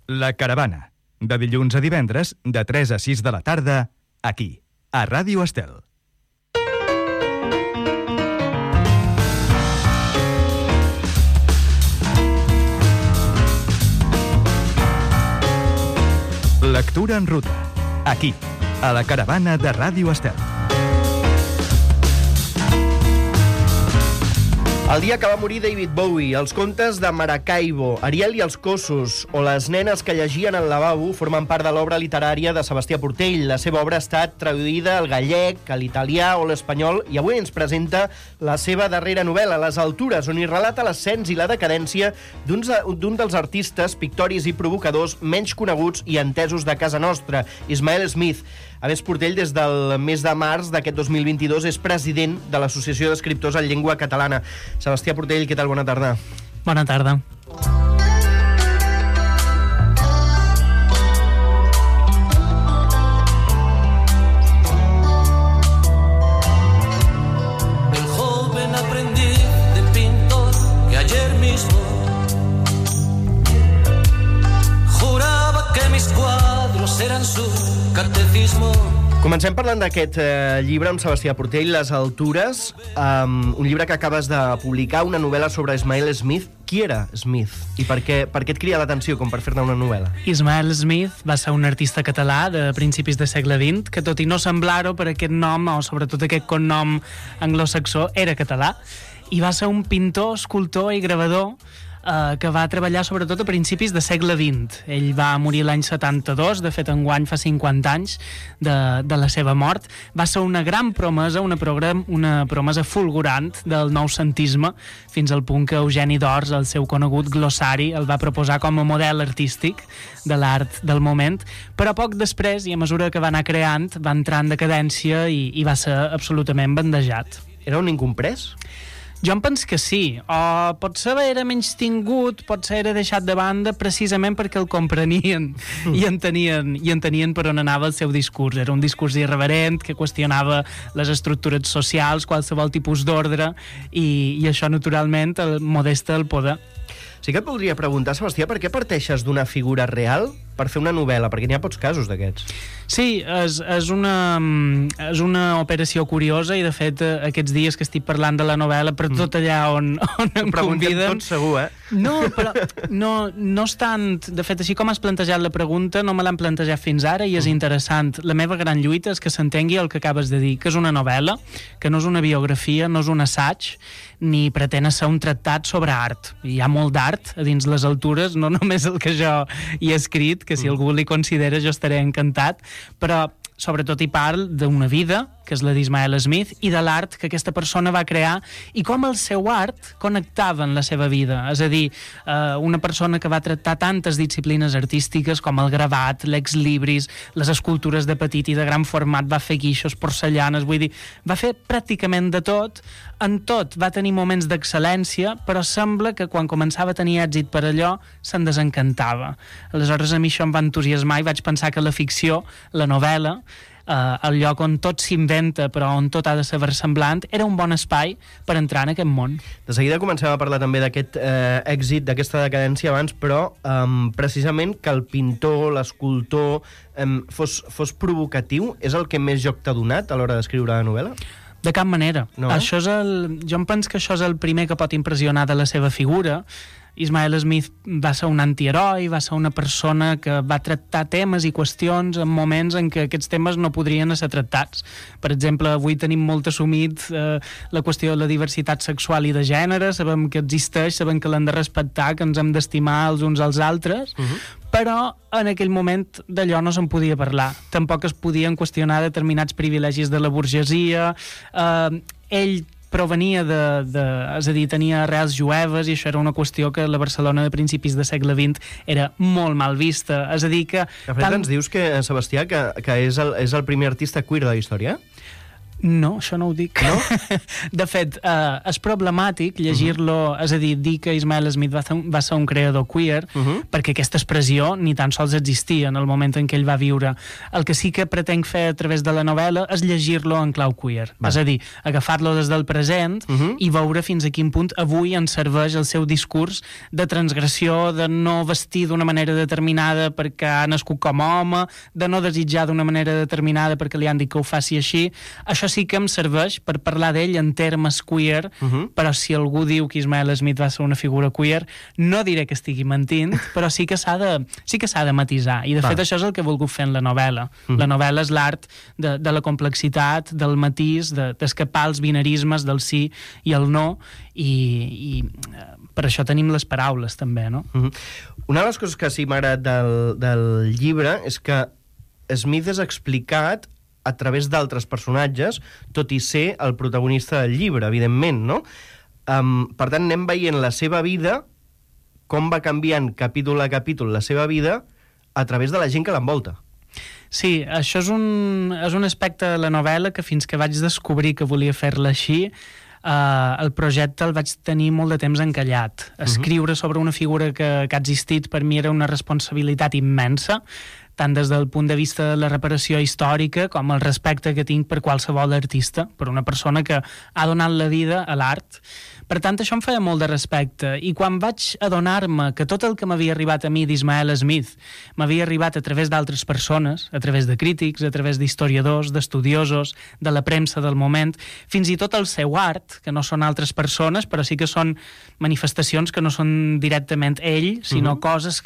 La Caravana, de dilluns a divendres, de 3 a 6 de la tarda, aquí, a Ràdio Estel. Lectura en ruta, aquí, a La Caravana de Ràdio Estel. El dia que va morir David Bowie, els contes de Maracaibo, Ariel i els Cossos o Les nenes que llegien al lavabo formen part de l'obra literària de Sebastià Portell. La seva obra ha estat traduïda al gallec, a l'italià o l'espanyol i avui ens presenta la seva darrera novel·la, Les altures, on hi relata l'ascens i la decadència d'un dels artistes, pictoris i provocadors menys coneguts i entesos de casa nostra, Ismael Smith. A més, Portell, des del mes de març d'aquest 2022, és president de l'Associació d'Escriptors en Llengua Catalana. Sebastià Portell, què tal? Bona tarda. Bona tarda. El joven aprendiz de pintor que ayer mismo juraba que mis cuadros eran su catecismo. Comencem parlant d'aquest llibre amb Sebastià Portell, Les altures, un llibre que acabes de publicar, una novel·la sobre Ismael Smith. Qui era Smith? I per què et crida l'atenció com per fer-ne una novel·la? Ismael Smith va ser un artista català de principis del segle XX, que tot i no semblar-ho per aquest nom, o sobretot aquest cognom anglosaxó, era català, i va ser un pintor, escultor i gravador que va treballar sobretot a principis del segle XX. Ell va morir l'any 72, de fet enguany fa 50 anys de la seva mort. Va ser una gran promesa, una promesa fulgurant del noucentisme, fins al punt que Eugeni d'Ors, el seu conegut glossari, el va proposar com a model artístic de l'art del moment, però poc després, i a mesura que va anar creant, va entrar en decadència i va ser absolutament bandejat. Era un incomprès? Jo em penso que sí, o potser era menys tingut, potser era deixat de banda precisament perquè el comprenien i entenien per on anava el seu discurs. Era un discurs irreverent que qüestionava les estructures socials, qualsevol tipus d'ordre, i això naturalment el modesta el poder. Sí que et voldria preguntar, Sebastià, per què parteixes d'una figura real per fer una novel·la? Perquè n'hi ha pocs casos d'aquests. Sí, és una operació curiosa i, de fet, aquests dies que estic parlant de la novel·la, per tot allà on em conviden... Tot segur, No, però no és tant... De fet, així com has plantejat la pregunta, no me l'han plantejat fins ara i és interessant. La meva gran lluita és que s'entengui el que acabes de dir, que és una novel·la, que no és una biografia, no és un assaig, ni pretén ser un tractat sobre art. Hi ha molt d'art a dins les altures, no només el que jo hi he escrit, que si algú li considera jo estaré encantat, però sobretot hi parla d'una vida, que és la d'Ismael Smith, i de l'art que aquesta persona va crear i com el seu art connectava en la seva vida. És a dir, una persona que va tractar tantes disciplines artístiques com el gravat, l'exlibris, les escultures de petit i de gran format, va fer guixos, porcellanes, vull dir, va fer pràcticament de tot. En tot va tenir moments d'excel·lència, però sembla que quan començava a tenir èxit per allò, se'n desencantava. Aleshores, a mi això em va entusiasmar i vaig pensar que la ficció, la novel·la, el lloc on tot s'inventa però on tot ha de ser versemblant, era un bon espai per entrar en aquest món. De seguida comencem a parlar també d'aquest èxit, d'aquesta decadència abans, però precisament que el pintor, l'escultor fos provocatiu és el que més joc t'ha donat a l'hora d'escriure la novel·la? De cap manera. No? Jo em penso que això és el primer que pot impressionar de la seva figura. Ismael Smith va ser un antiheroi, va ser una persona que va tractar temes i qüestions en moments en què aquests temes no podrien ser tractats. Per exemple, avui tenim molt assumit la qüestió de la diversitat sexual i de gènere, sabem que existeix, sabem que l'hem de respectar, que ens hem d'estimar els uns als altres, però en aquell moment d'allò no se'n podia parlar. Tampoc es podien qüestionar determinats privilegis de la burgesia. Ell provenia és a dir, tenia arrels jueves i això era una qüestió que a la Barcelona de principis del segle XX era molt mal vista. És a dir que... De fet, ens dius que, Sebastià, que és el primer artista queer de la història? No, això no ho dic. No? De fet, és problemàtic llegir-lo, és a dir que Ismael Smith va ser un creador queer, perquè aquesta expressió ni tan sols existia en el moment en què ell va viure. El que sí que pretenc fer a través de la novel·la és llegir-lo en clau queer. És a dir, agafar-lo des del present i veure fins a quin punt avui ens serveix el seu discurs de transgressió, de no vestir d'una manera determinada perquè ha nascut com a home, de no desitjar d'una manera determinada perquè li han dit que ho faci així. Això sí que em serveix per parlar d'ell en termes queer, però si algú diu que Ismael Smith va ser una figura queer, no diré que estigui mentint, però sí que s'ha de matisar. I de fet això és el que he volgut fer en la novel·la. La novel·la és l'art de la complexitat, del matís, d'escapar als binarismes del sí i el no, i per això tenim les paraules també, no? Una de les coses que sí m'ha agradat del llibre és que Smith és explicat a través d'altres personatges, tot i ser el protagonista del llibre, evidentment, no? Per tant, anem veient la seva vida, com va canviant capítol a capítol la seva vida, a través de la gent que l'envolta. Sí, això és un aspecte de la novel·la que fins que vaig descobrir que volia fer-la així, el projecte el vaig tenir molt de temps encallat. Escriure sobre una figura que ha existit per mi era una responsabilitat immensa, tant des del punt de vista de la reparació històrica com el respecte que tinc per qualsevol artista, per una persona que ha donat la vida a l'art. Per tant, això em feia molt de respecte. I quan vaig adonar-me que tot el que m'havia arribat a mi d'Ismael Smith m'havia arribat a través d'altres persones, a través de crítics, a través d'historiadors, d'estudiosos, de la premsa del moment, fins i tot el seu art, que no són altres persones, però sí que són manifestacions que no són directament ell, sinó coses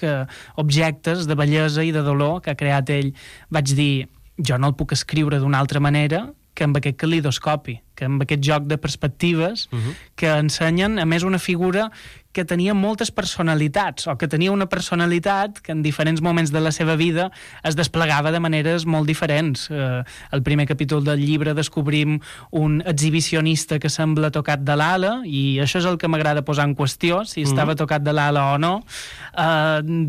objectes de bellesa i de dolor que ha creat ell. Vaig dir, jo no el puc escriure d'una altra manera que amb aquest calidoscopi, que amb aquest joc de perspectives que ensenyen, a més, una figura que tenia moltes personalitats, o que tenia una personalitat que en diferents moments de la seva vida es desplegava de maneres molt diferents. Al primer capítol del llibre descobrim un exhibicionista que sembla tocat de l'ala, i això és el que m'agrada posar en qüestió, si estava tocat de l'ala o no.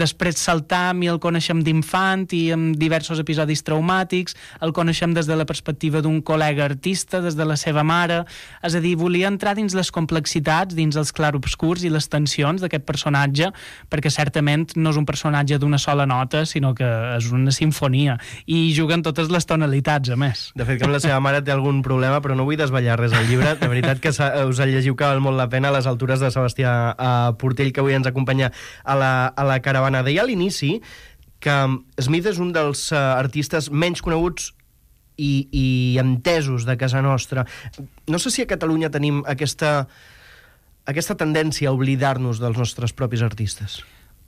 Després saltam i el coneixem d'infant i amb diversos episodis traumàtics, el coneixem des de la perspectiva d'un col·lega artista, des de la seva mare. És a dir, volia entrar dins les complexitats, dins els clarobscurs i les tensions d'aquest personatge, perquè certament no és un personatge d'una sola nota, sinó que és una sinfonia, i juguen totes les tonalitats, a més. De fet, que amb la seva mare té algun problema, però no vull desvetllar res al llibre. De veritat que us el llegiu, que val molt la pena, a les altures de Sebastià Portell, que avui ens acompanya a la caravana. Deia a l'inici que Smith és un dels artistes menys coneguts i entesos de casa nostra. No sé si a Catalunya tenim aquesta tendència a oblidar-nos dels nostres propis artistes.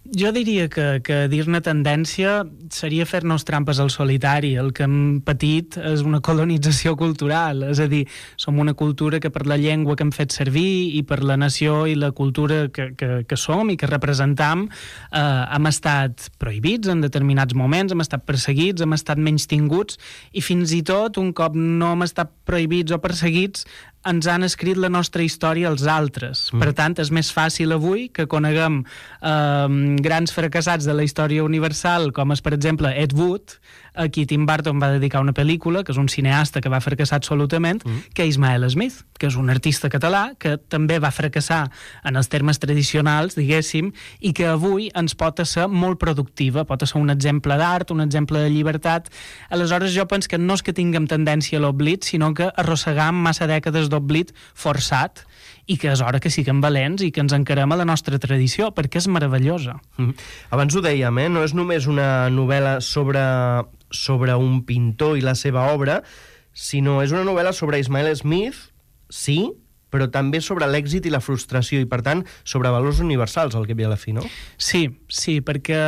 Jo diria que dir-ne tendència seria fer-nos trampes al solitari. El que hem patit és una colonització cultural, és a dir, som una cultura que per la llengua que hem fet servir i per la nació i la cultura que som i que representam hem estat prohibits en determinats moments, hem estat perseguits, hem estat menystinguts, i fins i tot, un cop no hem estat prohibits o perseguits, ens han escrit la nostra història als altres. Per tant, és més fàcil avui que coneguem grans fracassats de la història universal, com és, per exemple, Ed Wood, a qui Tim Burton va dedicar una pel·lícula, que és un cineasta que va fracassar absolutament, que Ismael Smith, que és un artista català que també va fracassar en els termes tradicionals, diguéssim, i que avui ens pot ser molt productiva, pot ser un exemple d'art, un exemple de llibertat. Aleshores, jo penso que no és que tinguem tendència a l'oblit, sinó que arrossegam massa dècades d'oblit forçat, i que és hora que siguem valents i que ens encarem a la nostra tradició, perquè és meravellosa. Abans ho dèiem, no és només una novel·la sobre un pintor i la seva obra, sinó és una novel·la sobre Ismael Smith, sí, però també sobre l'èxit i la frustració, i per tant sobre valors universals, al cap i a la fi, no? Sí, perquè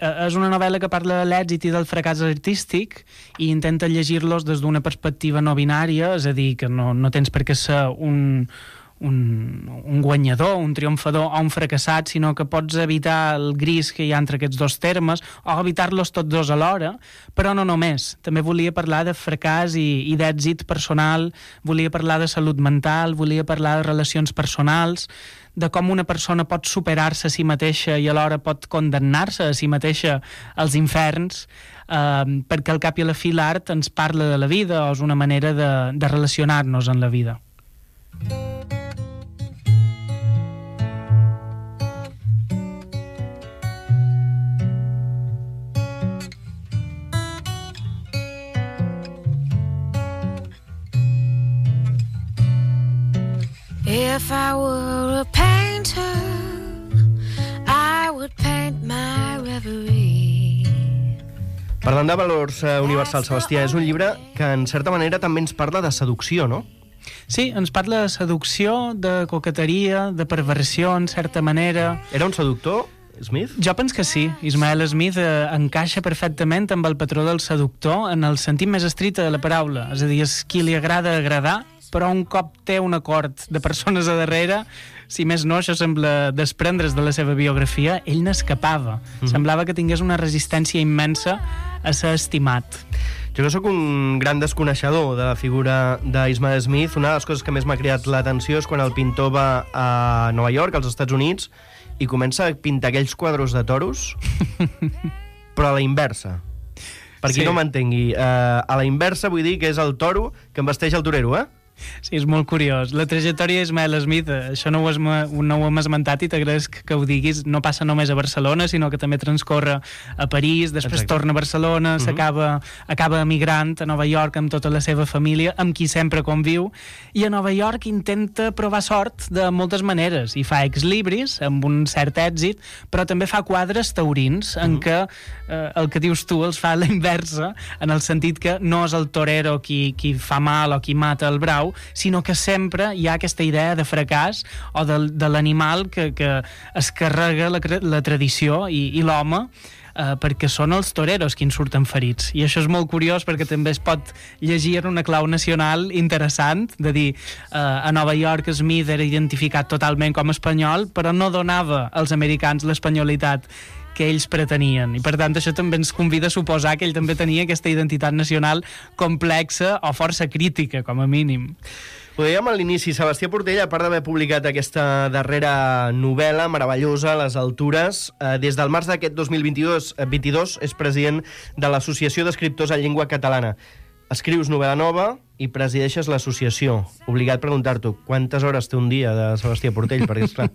és una novel·la que parla de l'èxit i del fracàs artístic i intenta llegir-los des d'una perspectiva no binària, és a dir, que no tens per què ser un guanyador, un triomfador o un fracassat, sinó que pots evitar el gris que hi ha entre aquests dos termes o evitar-los tots dos alhora, però no només. També volia parlar de fracàs i d'èxit personal, volia parlar de salut mental, volia parlar de relacions personals, de com una persona pot superar-se a si mateixa i alhora pot condemnar-se a si mateixa als inferns, perquè al cap i a la fi l'art ens parla de la vida, o és una manera de relacionar-nos en la vida. If I were a painter, I would paint my reverie. Parlant de valors universals, Sebastià, és un llibre que en certa manera també ens parla de seducció, no? Sí, ens parla de seducció, de coqueteria, de perversió, en certa manera. Era un seductor, Smith? Jo penso que sí. Ismael Smith encaixa perfectament amb el patró del seductor en el sentit més estricte de la paraula. És a dir, és qui li agrada agradar, però un cop té un acord de persones a darrere, si més no, això sembla desprendre's de la seva biografia, ell n'escapava. Semblava que tingués una resistència immensa a ser estimat. Jo que sóc un gran desconeixedor de la figura d'Ismael Smith, una de les coses que més m'ha cridat l'atenció és quan el pintor va a Nova York, als Estats Units, i comença a pintar aquells quadros de toros, però a la inversa. Per qui no m'entengui, a la inversa vull dir que és el toro que embesteix el torero, eh? Sí, és molt curiós. La trajectòria d'Ismael Smith, això no ho hem esmentat i t'agraeix que ho diguis, no passa només a Barcelona, sinó que també transcorre a París, després torna a Barcelona, acaba emigrant a Nova York amb tota la seva família, amb qui sempre conviu, i a Nova York intenta provar sort de moltes maneres, i fa ex-libris, amb un cert èxit, però també fa quadres taurins, en què el que dius tu els fa a la inversa, en el sentit que no és el torero qui fa mal o qui mata el brau, sinó que sempre hi ha aquesta idea de fracàs o de l'animal que es carrega la tradició i l'home, perquè són els toreros qui en surten ferits. I això és molt curiós perquè també es pot llegir en una clau nacional interessant, de dir, a Nova York Smith era identificat totalment com a espanyol, però no donava als americans l'espanyolitat que ells pretenien, i per tant això també ens convida a suposar que ell també tenia aquesta identitat nacional complexa o força crítica, com a mínim. Ho dèiem a l'inici, Sebastià Portell, a part d'haver publicat aquesta darrera novel·la meravellosa, Les altures, des del març d'aquest 2022 és president de l'Associació d'Escriptors en Llengua Catalana. Escrius novel·la nova i presideixes l'associació. Obligat a preguntar-t'ho, quantes hores té un dia de Sebastià Portell? Perquè, esclar,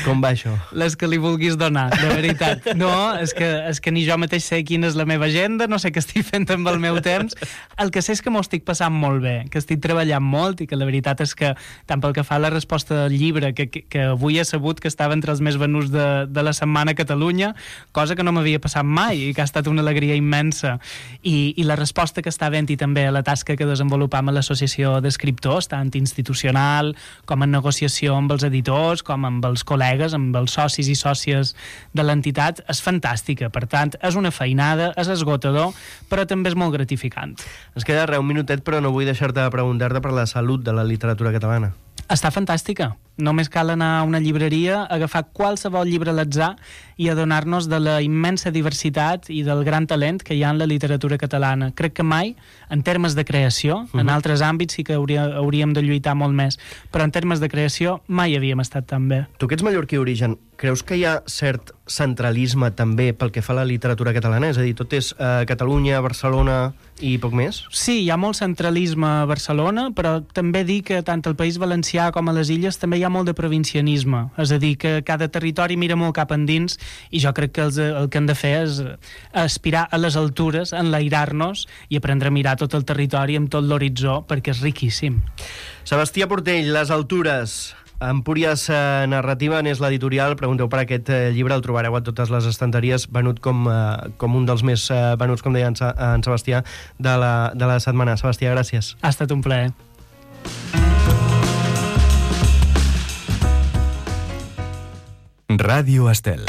com va això? Les que li vulguis donar, de veritat. No, és que ni jo mateix sé quina és la meva agenda, no sé què estic fent amb el meu temps. El que sé és que m'ho estic passant molt bé, que estic treballant molt i que la veritat és que, tant pel que fa a la resposta del llibre, que avui he sabut que estava entre els més venuts de la setmana a Catalunya, cosa que no m'havia passat mai i que ha estat una alegria immensa. I la resposta que està havent-hi també a la tasca que desenvolupam a l'Associació d'Escriptors, tant institucional com en negociació amb els editors, com amb els col·legues, amb els socis i sòcies de l'entitat, és fantàstica. Per tant, és una feinada, és esgotador, però també és molt gratificant. Ens queda un minutet, però no vull deixar-te de preguntar-te per la salut de la literatura catalana. Està fantàstica. Només cal anar a una llibreria, agafar qualsevol llibre a l'atzar i adonar-nos de la immensa diversitat i del gran talent que hi ha en la literatura catalana. Crec que mai, en termes de creació, en altres àmbits sí que hauríem de lluitar molt més, però en termes de creació mai havíem estat tan bé. Tu que ets mallorquí d'origen, creus que hi ha cert centralisme també pel que fa a la literatura catalana? És a dir, tot és Catalunya, Barcelona i poc més? Sí, hi ha molt centralisme a Barcelona, però també dir que tant al País Valencià com a les Illes també hi ha molt de provincianisme. És a dir, que cada territori mira molt cap endins i jo crec que el que hem de fer és aspirar a les altures, enlairar-nos i aprendre a mirar tot el territori amb tot l'horitzó, perquè és riquíssim. Sebastià Portell, Les altures, Empúries Narrativa n'és l'editorial. Pregunteu per aquest llibre, el trobareu a totes les estanteries, venut com un dels més venuts, com deia en Sebastià, de la setmana. Sebastià, gràcies. Ha estat un plaer. Ràdio Estel.